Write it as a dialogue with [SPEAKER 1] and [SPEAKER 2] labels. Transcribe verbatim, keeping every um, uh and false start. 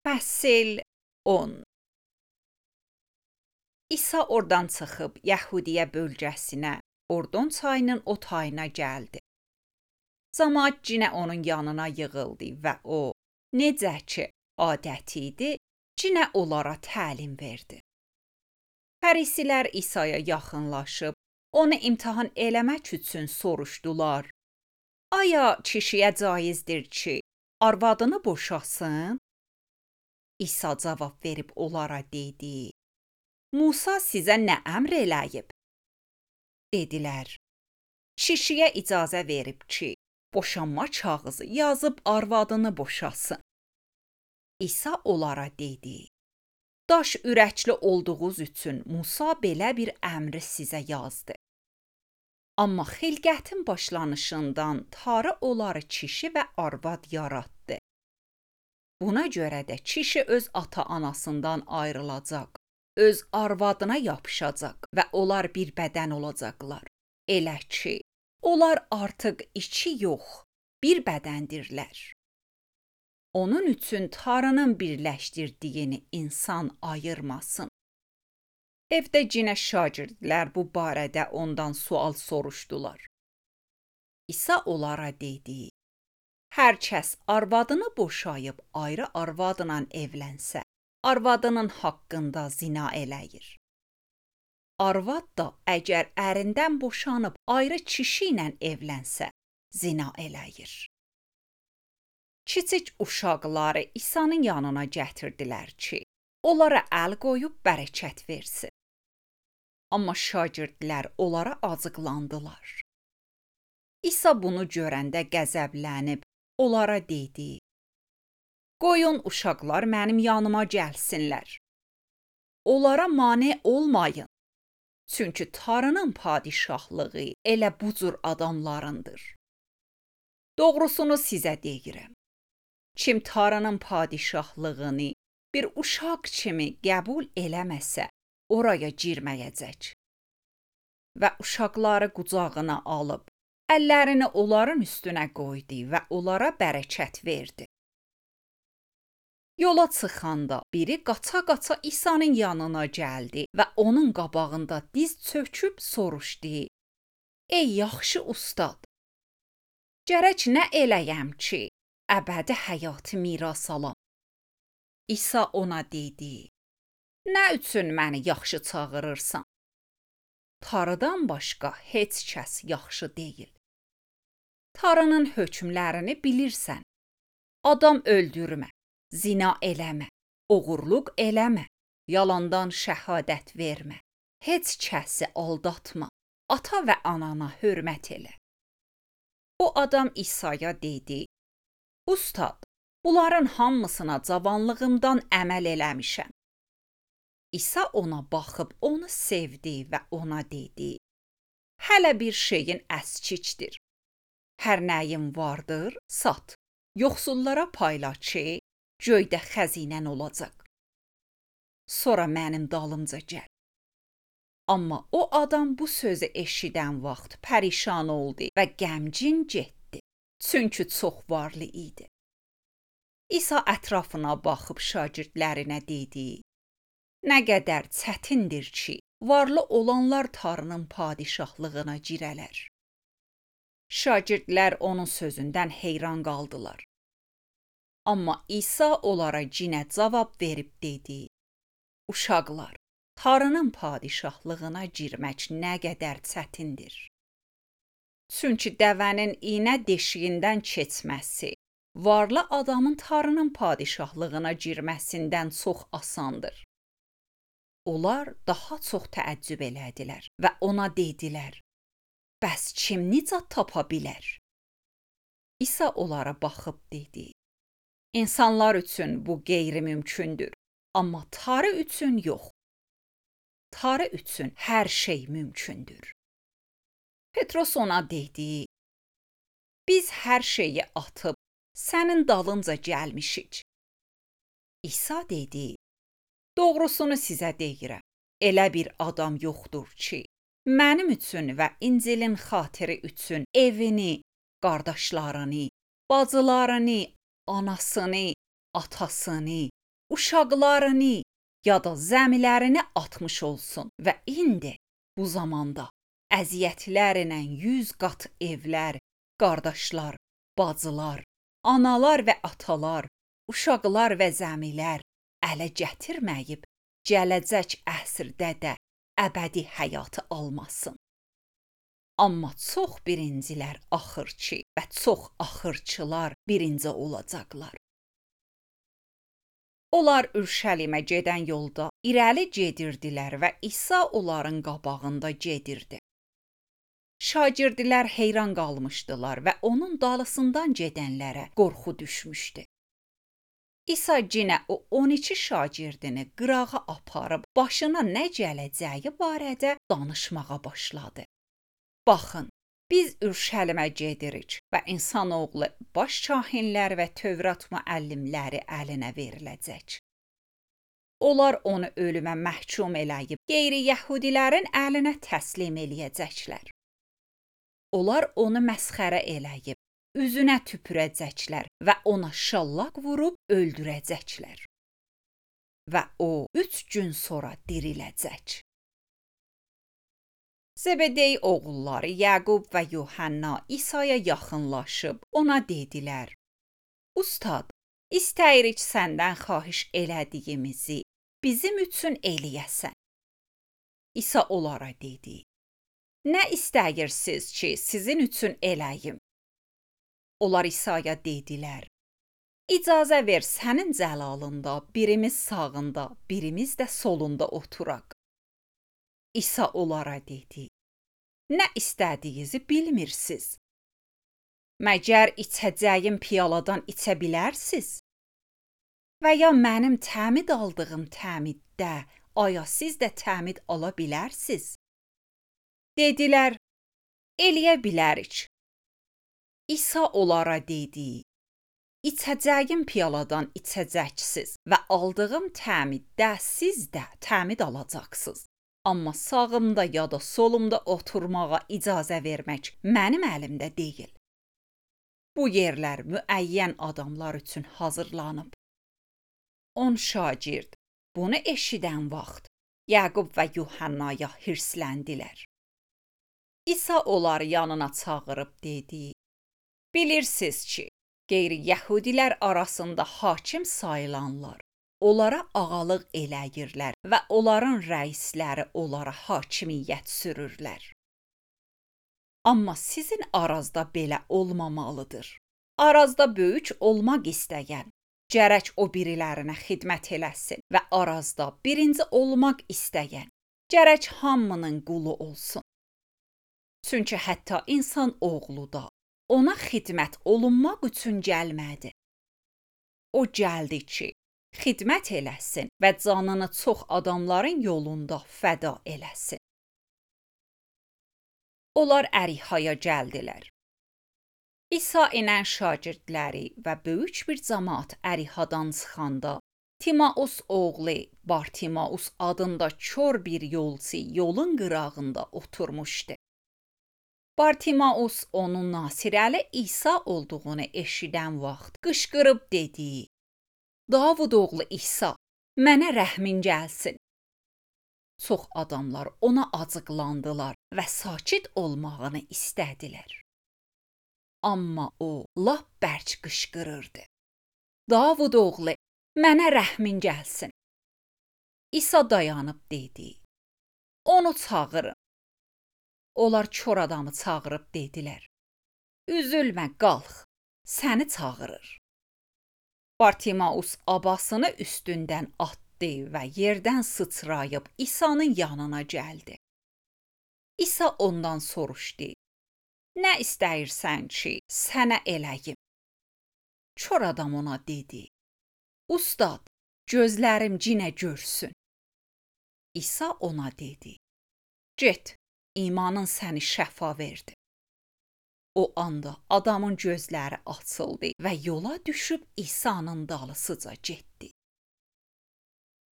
[SPEAKER 1] Fəsil on. İsa oradan çıxıb Yəhudiyə bölgəsinə, Ordon çayının o tayına gəldi. Camaat cinə onun yanına yığıldı və o, necə ki adəti idi, cinə onlara təlim verdi. Fərisilər İsa'ya yaxınlaşıb, onu imtahan eləmək üçün soruşdular. Aya kişiyə caizdir ki, arvadını boşasın? İsa cavab verib onlara dedi. Musa sizə nə əmr eləyib? Dedilər. Kişiyə icazə verib ki, boşanma kağızı yazıb arvadını boşasın. İsa onlara dedi. Daş ürəkli olduğunuz üçün Musa belə bir əmri sizə yazdı. Amma xilqətin başlanışından Tanrı onları kişi və arvad yaratdı. Buna görə də kişi öz ata-anasından ayrılacaq, öz arvadına yapışacaq və onlar bir bədən olacaqlar. Elə ki, onlar artıq iki yox, bir bədəndirlər. Onun üçün Tanrının birləşdirdiyini insan ayırmasın. Evdə cinə şagirdlər bu barədə ondan sual soruşdular. İsa onlara dedi. Hər kəs arvadını boşayıb ayrı arvadla evlənsə, arvadının haqqında zina eləyir. Arvad da əgər ərindən boşanıb ayrı kişi ilə evlənsə, zina eləyir. Kiçik uşaqları İsa'nın yanına gətirdilər ki, onlara əl qoyub bərəkət versin. Amma şagirdlər onlara acıqlandılar. İsa bunu görəndə qəzəblənib, onlara dedi. Qoyun uşaqlar mənim yanıma gəlsinlər. Onlara mane olmayın. Çünki Tanrının padişahlığı elə bu cür adamlarındır. Doğrusunu sizə deyirəm. Kim Tanrının padişahlığını bir uşaq kimi qəbul eləməsə, oraya girməyəcək. Və uşaqları qucağına alıb, əllərini onların üstünə qoydu və onlara bərəkət verdi. Yola çıxanda biri qaça-qaça İsa'nın yanına gəldi və onun qabağında diz çöküb soruşdu. Ey yaxşı ustad, gərək nə eləyəm ki, əbədi həyatı miras alam? İsa ona dedi. Nə üçün məni yaxşı çağırırsan? Tanrıdan başqa heç kəs yaxşı deyil. Tanrının hökmlərini bilirsən. Adam öldürmə, zina eləmə, oğurluq eləmə, yalandan şəhadət vermə, heç kəsi aldatma, ata və anana hörmət elə. O adam İsa'ya dedi, Ustad, bunların hamısına cavanlığımdan əməl eləmişəm. İsa ona baxıb onu sevdi və ona dedi, hələ bir şeyin əskikdir. Hər nəyin vardır, sat, yoxsullara payla ki, göydə xəzinən olacaq. Sonra mənim dalımca gəl. Amma o adam bu sözü eşidən vaxt pərişan oldu və qəmgin getdi, çünki çox varlı idi. İsa ətrafına baxıb şagirdlərinə dedi, nə qədər çətindir ki, varlı olanlar Tanrının padişahlığına girələr. Şagirdlər onun sözündən heyran qaldılar. Amma İsa onlara cinə cavab verib dedi, Uşaqlar, Tanrının padişahlığına girmək nə qədər çətindir. Çünki dəvənin iynə deşiyindən keçməsi, varlı adamın Tanrının padişahlığına girməsindən çox asandır. Onlar daha çox təəccüb elədilər və ona dedilər, bəs kim nicat tapa bilər? İsa onlara baxıb dedi, İnsanlar üçün bu qeyri-mümkündür, amma Tanrı üçün yox. Tanrı üçün hər şey mümkündür. Petros ona dedi, biz hər şeyi atıb sənin dalınca gəlmişik. İsa dedi, doğrusunu sizə deyirəm, elə bir adam yoxdur ki, mənim üçün və İncilin xatiri üçün evini, qardaşlarını, bacılarını, anasını, atasını, uşaqlarını ya da zəmilərini atmış olsun və indi bu zamanda əziyyətlərlə yüz qat evlər, qardaşlar, bacılar, analar və atalar, uşaqlar və zəmilər ələ gətirməyib, gələcək əsrdə də əbədi həyatı almasın. Amma çox birincilər axırçı və çox axırçılar birinci olacaqlar. Onlar Ürşəlimə gedən yolda irəli gedirdilər və İsa onların qabağında gedirdi. Şagirdlər heyran qalmışdılar və onun dalısından gedənlərə qorxu düşmüşdü. İsa yenə o on iki şagirdini qırağa aparıb başına nə gələcəyi barədə danışmağa başladı. Baxın, biz Ürşəlimə gedirik və insanoğlu baş kahinlər və Tövrat müəllimləri əlinə veriləcək. Onlar onu ölümə məhkum eləyib, qeyri-yəhudilərin əlinə təslim eləyəcəklər. Onlar onu məsxərə eləyib, üzünə tüpürəcəklər və ona şallaq vurub öldürəcəklər. Və o üç gün sonra diriləcək. Zebedey oğulları Yaqub və Yuhanna İsa'ya yaxınlaşıb ona dedilər: Ustad, istəyirik səndən xahiş elədiyimizi bizim üçün eləyəsən. İsa onlara dedi: Nə istəyirsiniz ki, sizin üçün eləyim? Onlar İsa'ya dedilər: İcazə ver sənin cəlalında birimiz sağında, birimiz də solunda oturaq. İsa onlara dedi: Nə istədiyinizi bilmirsiniz. Məgər içəcəyim piyaladan içə bilərsiz? Və ya mənim təmid aldığım təmiddə aya siz də təmid ala bilərsiz? Dedilər: Eləyə bilərik. İsa onlara dedi: İçəcəyim piyaladan içəcəksiniz və aldığım təmiddə siz də təmid alacaqsınız. Amma sağımda ya da solumda oturmağa icazə vermək mənim əlimdə deyil. Bu yerlər müəyyən adamlar üçün hazırlanıb. On şagird bunu eşidən vaxt Yaqub və Yuhannaya hirsləndilər. İsa onları yanına çağırıb dedi: Bilirsiniz ki, qeyri-yəhudilər arasında hakim sayılanlar onlara ağalıq eləyirlər və onların rəisləri onlara hakimiyyət sürürlər. Amma sizin arazda belə olmamalıdır. Arazda böyük olmaq istəyən, gərək o birilərinə xidmət eləsin və arazda birinci olmaq istəyən, gərək hamının qulu olsun. Çünki hətta insan oğlu da ona xidmət olunmaq üçün gəlmədi. O gəldi ki, xidmət eləsin və canını çox adamların yolunda fəda eləsin. Onlar Ərihaya gəldilər. İsa ilə şagirdləri və böyük bir cəmaət Ərihadan çıxanda, Timaus oğlu Bartimaus adında kör bir yolçu yolun qırağında oturmuşdu. Bartimaus onun Nasirəli İsa olduğunu eşidən vaxt qışqırıb dedi: Davud oğlu İsa, mənə rəhmin gəlsin. Çox adamlar ona acıqlandılar və sakit olmağını istədilər. Amma o lap bərk qışqırırdı: Davud oğlu, mənə rəhmin gəlsin. İsa dayanıb dedi: Onu çağırın. Onlar kör adamı çağırıb dedilər: Üzülmə, qalx, səni çağırır. Bartimaus abasını üstündən atdı və yerdən sıçrayıb İsa'nın yanına gəldi. İsa ondan soruşdu: Nə istəyirsən ki, sənə eləyim? Kör adam ona dedi: Ustad, gözlərim cinə görsün. İsa ona dedi: Get, imanın səni şəfa verdi. O anda adamın gözləri açıldı və yola düşüb İsa'nın dalısıca getdi.